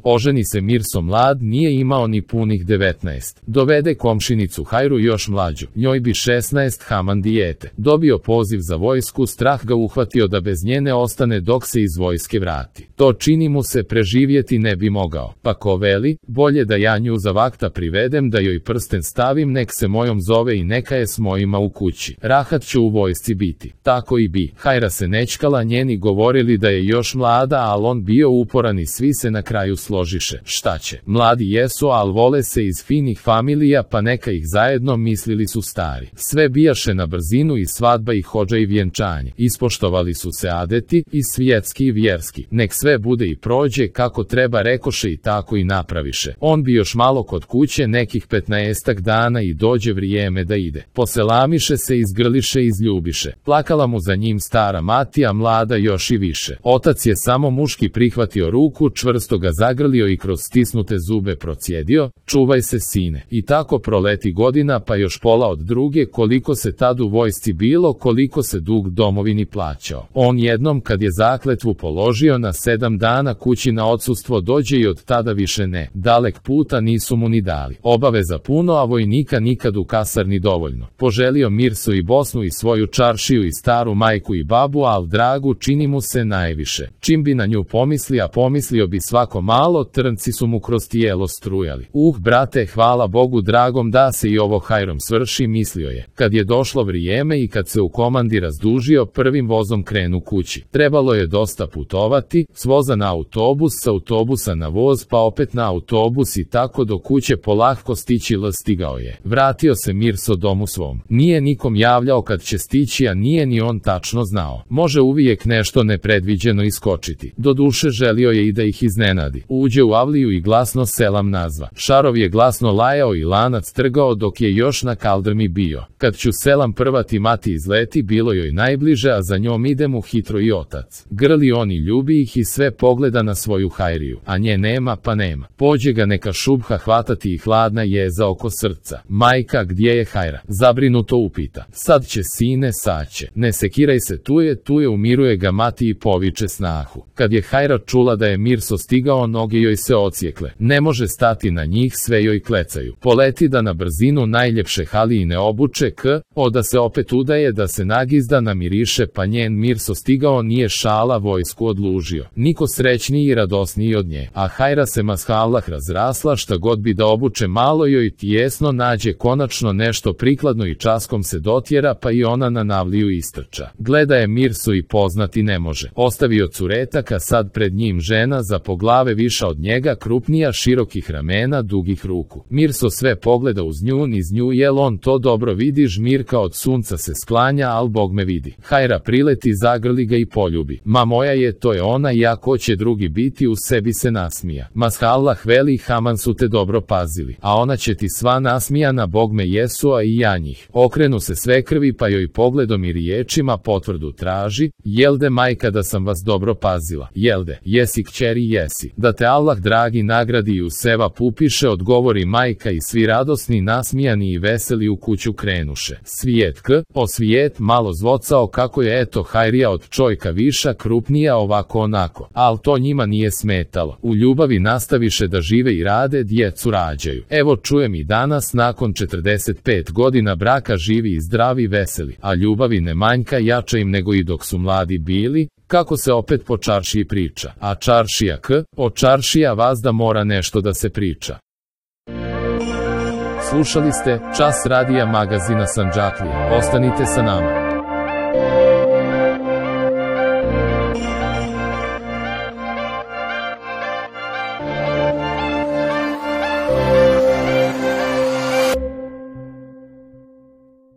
Oženi se Mirso mlad, nije imao ni punih 19. Dovede komšinicu Hajru još mlađu, njoj bi 16, Haman dijete. Dobio poziv za vojsku, strah ga uhvatio da bez njene ostane dok se iz vojske vrati. To čini mu se, preživjeti ne bi mogao. Pa ko veli, bolje da ja nju za vakta privedem, da joj prsten stavim, nek se mojom zove i neka je s mojima u kući. Rahat će u vojsci biti. Tako i bi. Hajra se nećkala, njeni govorili da je još mlada, al on bio uporan i svi se na kraju složiše. Šta će? Mladi jesu, al vole se iz finih familija, pa neka ih zajedno, mislili su stari. Sve bijaše na brzinu, i svadba i hodža i vjenčanje. Ispoštovali su se adeti, i svjetski i vjerski. Nek sve bude i prođe kako treba, rekoše, i tako i napraviše. On bi još malo kod kuće, nekih 15 dana, i dođe vrijeme da ide. Poselamiše se, izgrliše, izljubiše. Plakala mu za njim stara mati, a mlada još i više. Otac je samo muški prihvatio ruku, čvrsto ga zagrlio i kroz stisnute zube procjedio: čuvaj se, sine. I tako proleti godina, pa još pola od druge, koliko se tad u vojsci bilo, koliko se dug domovini plaćao. On jednom, kad je zakletvu položio, na 7 dana kući na odsustvo dođe i od tada više ne. Dalek puta nisu mu ni dali. Obaveza puno, a vojnika nikad u kasarni dovoljno. Poželio Mirso i Bosnu i svoju čaršiju i staru majku i babu, al dragu čini mu se najviše. Čim bi na nju pomisli, a pomislio bi svako malo, trnci su mu kroz tijelo strujali. Brate, hvala Bogu dragom da se i ovo hajrom svrši, mislio je. Kad je došlo vrijeme i kad se u komandi razdužio, prvim vozom krenu kući. Trebalo je dosta putovati, s voza na autobus, s autobusa na voz, pa opet na autobus, i tako do kuće polahko stići. Stigao je. Vratio se Mirso domu svom. Nije nikom javljao kad će stići, a nije ni on tačno znao. Može uvijek nešto nepredviđeno iskočiti. Doduše želio je i da ih iznenadi. Uđe u avliju i glasno selam nazva. Šarov je glasno lajao i lanac trgao dok je još na kaldrmi bio. Kad ću selam prvati mati izleti, bilo joj najbliže, a za njom ide mu hitro i otac. Grli on i ljubi ih i sve pogleda na svoju Hajriju, a nje nema pa nema. Pođe ga neka šubha hvatati i hladna jeza oko srca. Majka, gdje je Hajra? Zabrinuto upita. Sad će, sine, sad će. Ne sekiraj se, tu je, umiruje ga mati i poviče snahu. Kad je Hajra čula da je Mirso stigao, noge joj se ocijekle. Ne može stati na njih, sve joj klecaju. Poleti da na brzinu najljepše halijine obuče, da se opet udaje, da se nagizda, namiriše, pa njen Mirso stigao, nije šala, vojsku odlužio. Niko srećniji i radosniji od nje. A Hajra se mashallah razrasla, šta god bi da obuče, malo joj tijesno nađe konačno nešto prikladno i časkom se dotjera, pa i ona na navliju istrča. Gleda je Mirso i poznati ne može. Ostavio curetaka, sad pred njim žena, za po glave viša od njega, krupnija, širokih ramena, dugih ruku. Mirso sve pogleda uz nju, niz nju, jel on to dobro vidi, žmirka od sunca se sklanja, al Bog me vidi. Hajra prileti, zagrli ga i poljubi. Ma moja je, to je ona, ja ko će drugi biti, u sebi se nasmija. Mashallah veli, Haman su te dobro pazili, a ona će ti sva nasmijana, Bog me jesu, a i ja njih. Okrenu se sve krvi, pa joj pogledom i riječima potvrdu traži: jelde majka da sam vas dobro pazila? Jelde? Jesi kćeri, jesi. Da te Allah dragi nagradi i u seva pupiše, odgovori majka, i svi radosni, nasmijani i veseli u kuću krenuše. Svijet o svijet, malo zvocao kako je eto Hajrija od čojka viša, krupnija, ovako onako. Al to njima nije smetalo. U ljubavi nastaviše da žive i rade, djecu rađaju. Evo čujem i danas, nakon 45 godina braka, živi i zdravi, veseli. A ljubavi ne manjka, jača im nego i dok su mladi bili. Kako se opet po čaršiji priča. A čaršija o čaršija vazda mora nešto da se priča. Slušali ste Čas radija magazina Sandžaklija. Ostanite sa nama.